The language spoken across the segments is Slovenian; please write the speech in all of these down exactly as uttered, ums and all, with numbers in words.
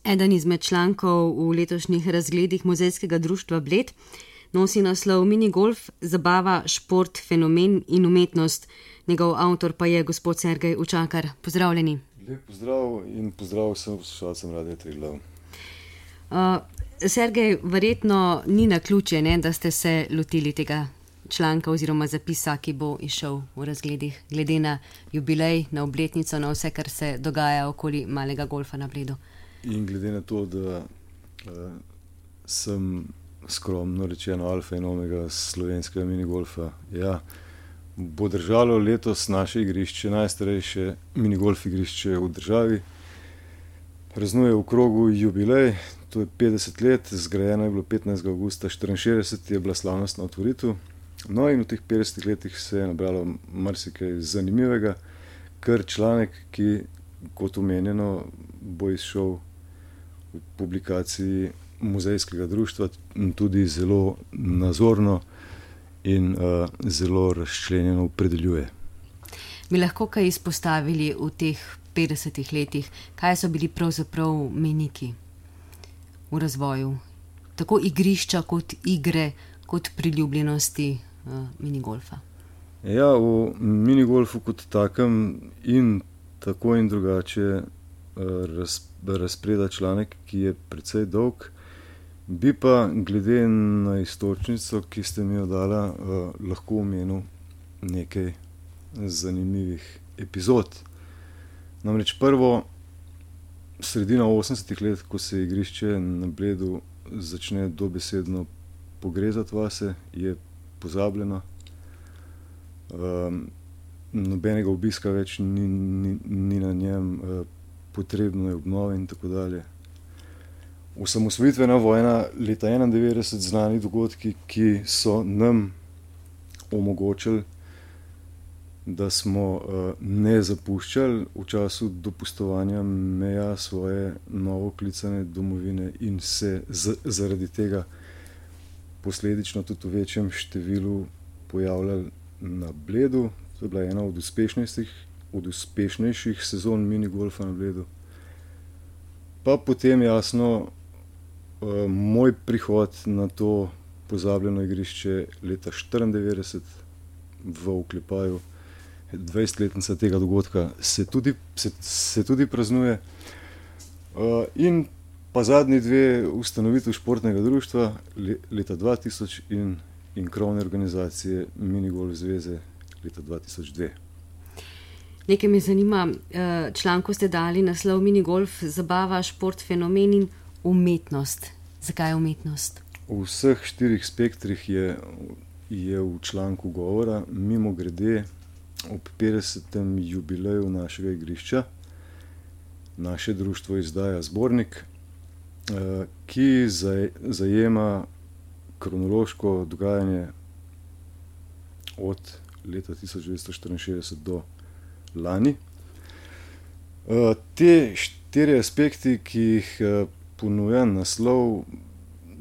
Eden izmed člankov v letošnjih razgledih Muzejskega društva Bled nosi naslov Minigolf, zabava, šport, fenomen in umetnost. Njegov avtor pa je gospod Sergej Učakar. Pozdravljeni. Lep pozdrav in pozdrav vsem poslušalcem Radia Triglav. Uh, Sergej, verjetno ni naključje, ne, da ste se lotili tega članka oziroma zapisa, ki bo izšel v razgledih, glede na jubilej, na obletnico, na vse, kar se dogaja okoli malega golfa na Bledu. In glede na to, da uh, sem skromno rečeno alfa in omega slovenskega minigolfa, ja, bo držalo letos naše igrišče, najstarejše minigolf igrišče v državi. Praznuje v krogu jubilej, to je petdeset let, zgrajeno je bilo petnajstega avgusta štiriinšestdeset, je bila slavnostna otvoritev. No in v teh petdesetih letih se je nabralo marsikaj zanimivega, kar članek, ki, kot omenjeno, bo izšel v publikaciji Muzejskega društva, tudi zelo nazorno in uh, zelo razčlenjeno opredeljuje. Bi lahko kaj izpostavili v teh petdesetih letih, kaj so bili pravzaprav mejniki v razvoju, tako igrišča kot igre, kot priljubljenosti uh, minigolfa? Ja, v minigolfu kot takem in tako in drugače uh, raz, razpreda članek, ki je precej dolg, bi pa glede na istočnico, ki ste mi jo dala, uh, lahko omenil nekaj zanimivih epizod. Namreč prvo, sredina osemdesetih let, ko se igrišče na Bledu začne dobesedno pogrezati vase, je pozabljeno. Um, nobenega obiska več ni, ni, ni na njem, uh, potrebno je obnove in tako dalje. Osamosvojitvena vojna leta enaindevetdeset, znani dogodki, ki so nam omogočili, da smo uh, ne zapuščali v času dopustovanja meja svoje novoklicane domovine in se z, zaradi tega posledično tudi v večjem številu pojavljali na Bledu. To je bila ena od uspešnejših, od uspešnejših sezon minigolfa na Bledu. Pa potem jasno uh, moj prihod na to pozabljeno igrišče leta štiriindevetdeset v oklepaju dvajsetletnica tega dogodka se tudi, se, se tudi praznuje. Uh, in pa zadnji dve ustanovitev športnega društva le, leta dva tisoč in, in krovne organizacije Minigolf zveze leta dva tisoč dve. Nekaj me zanima, članku ste dali naslov Minigolf, zabava, šport, fenomen in umetnost. Zakaj umetnost? V vseh štirih spektrih je, je v članku govora. Mimo grede, ob petdesetem jubileju našega igrišča naše društvo izdaja zbornik, ki zajema kronološko dogajanje od leta tisoč devetsto štiriinšestdeset do lani. Te štiri aspekti, ki jih ponuja naslov,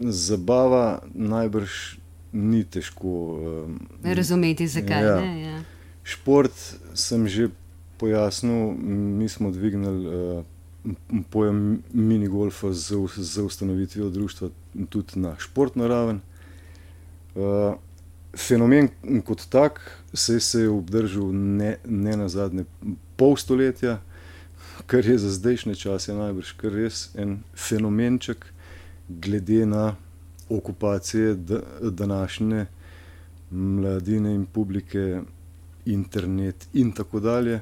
zabava, najbrž ni težko razumeti, zakaj. Ja. Ne, ja. Šport sem že pojasnil, mi smo dvignili uh, pojem minigolfa z, z ustanovitvijo društva tudi na športno raven. Uh, fenomen kot tak se, se je obdržal ne, ne na zadnje pol stoletja, kar je za zdajšnje čase najbrž kar res en fenomenček glede na okupacije d, današnje mladine in publike, internet in tako dalje.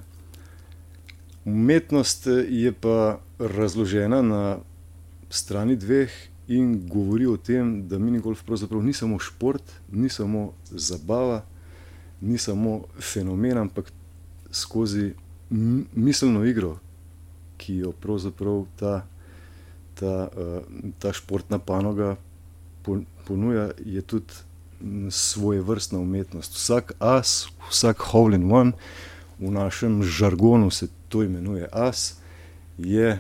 Umetnost je pa razložena na strani dveh in govori o tem, da minigolf pravzaprav ni samo šport, ni samo zabava, ni samo fenomen, ampak skozi miselno igro, ki jo pravzaprav ta, ta, ta športna panoga ponuja, je tudi svojevrstna umetnost. Vsak as, vsak hole in one, v našem žargonu se to imenuje as, je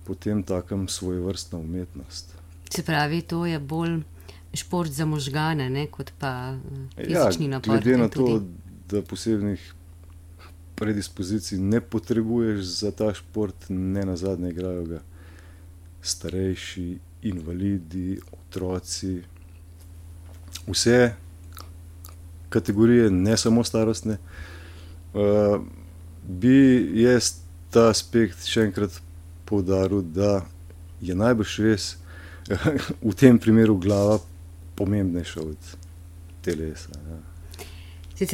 potem takem svojevrstna umetnost. Se pravi, to je bolj šport za možgane, ne, kot pa fizični napor. Ja, glede na to, da posebnih predispozicij ne potrebuješ za ta šport, ne nazadnje igrajo ga starejši, invalidi, otroci, vse kategorije, ne samo starostne, uh, bi jaz ta aspekt še enkrat poudaril, da je najbrž res v tem primeru glava pomembnejša od telesa. Ja.